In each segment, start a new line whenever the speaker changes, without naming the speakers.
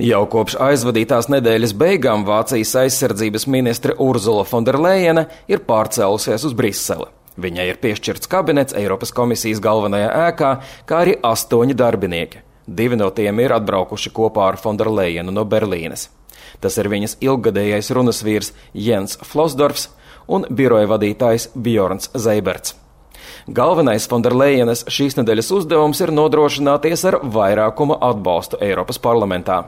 Jau kopš aizvadītās nedēļas beigām Vācijas aizsardzības ministre Urzula Fonderlejene ir pārcēlusies uz Briseli. Viņai ir piešķirts kabinets Eiropas komisijas galvenajā ēkā, kā arī 8 darbinieki. 2 no tiem ir atbraukuši kopā ar Fonderlejenu no Berlīnes. Tas ir viņas ilggadējais runasvīrs Jens Flosdorfs un biroja vadītājs Bjorns Zeiberts. Galvenais Fonderlejenes šīs nedēļas uzdevums ir nodrošināties ar vairākuma atbalstu Eiropas parlamentā.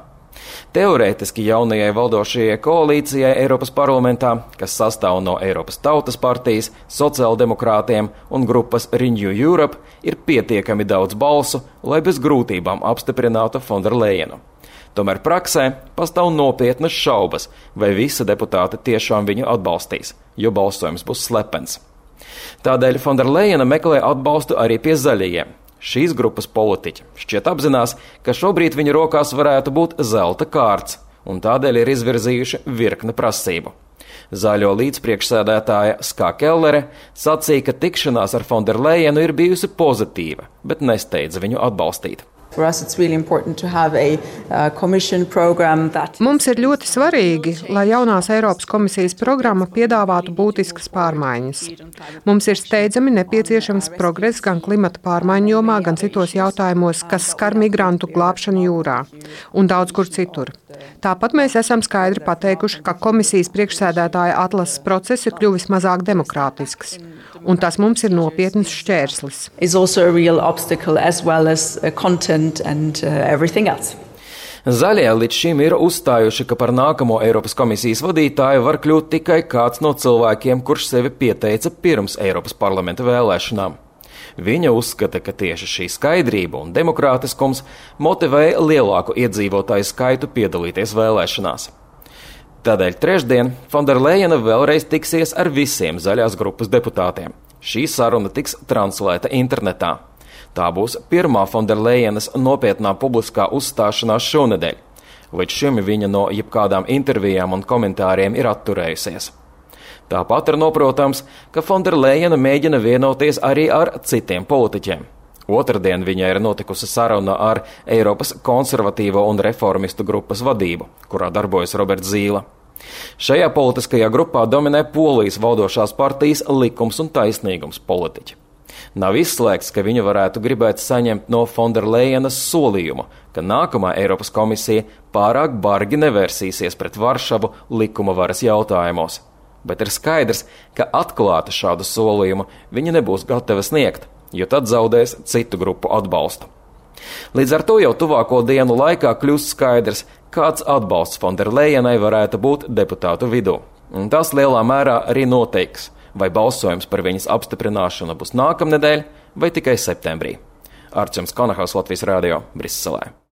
Teorētiski jaunajai valdošajai koalīcijai Eiropas parlamentā, kas sastāv no Eiropas Tautas partijas, sociāldemokrātiem un grupas Renew Europe, ir pietiekami daudz balsu, lai bez grūtībām apstiprinātu Fonderlejenu. Tomēr praksē pastāv nopietnas šaubas, vai visi deputāti tiešām viņu atbalstīs, jo balsojums būs slepens. Tādēļ Fonderlejena meklē atbalstu arī pie zaļajiem. Šīs grupas politiķi šķiet apzinās, ka šobrīd viņu rokās varētu būt zelta kārts, un tādēļ ir izvirzījuši virkni prasību. Zaļo līdzpriekšsēdētāja Ska Kellere sacīja, ka tikšanās ar Fonderlejenu ir bijusi pozitīva, bet nesteidza viņu atbalstīt.
Mums ir ļoti svarīgi, lai jaunās Eiropas komisijas programma piedāvātu būtiskas pārmaiņas. Mums ir steidzami nepieciešams progress gan klimata pārmaiņu jomā, gan citos jautājumos, kas skar migrantu glābšanu jūrā un daudz kur citur. Tāpat mēs esam skaidri pateikuši, ka komisijas priekšsēdētāja atlases process ir kļuvis mazāk demokrātisks, un tas mums ir nopietns šķērslis.
Zaļie līdz šim ir uzstājuši, ka par nākamo Eiropas komisijas vadītāju var kļūt tikai kāds no cilvēkiem, kurš sevi pieteica pirms Eiropas parlamenta vēlēšanām. Viņa uzskata, ka tieši šī skaidrība un demokrātiskums motivēja lielāku iedzīvotāju skaitu piedalīties vēlēšanās. Tādēļ trešdien Fonderlejena vēlreiz tiksies ar visiem zaļās grupas deputātiem. Šī saruna tiks translēta internetā. Tā būs pirmā Fonderlejenas nopietnā publiskā uzstāšanās šonedēļ. Līdz šim viņa no jebkādām intervijām un komentāriem ir atturējusies. Tāpat ir noprotams, ka Fonderlejena mēģina vienoties arī ar citiem politiķiem. Otradien viņai ir notikusi saruna ar Eiropas konservatīvo un reformistu grupas vadību, kurā darbojas Roberts Zīle. Šajā politiskajā grupā dominē Polijas valdošās partijas Likums un taisnīgums politiķi. Nav izslēgts, ka viņa varētu gribēt saņemt no Fonderlejenas solījumu, ka nākamā Eiropas komisija pārāk bargi nevērsīsies pret Varšavu likuma varas jautājumos. Bet ir skaidrs, ka atklāti šādu solījumu viņa nebūs gatava sniegt, jo tad zaudēs citu grupu atbalstu. Līdz ar to jau tuvāko dienu laikā kļūst skaidrs, kāds atbalsts Fonderlejenai varētu būt deputātu vidū. Un tas lielā mērā arī noteiks, vai balsojums par viņas apstiprināšanu būs nākamnedēļ vai tikai septembrī. Arčuns Konahaus, Latvijas radio, Briselē.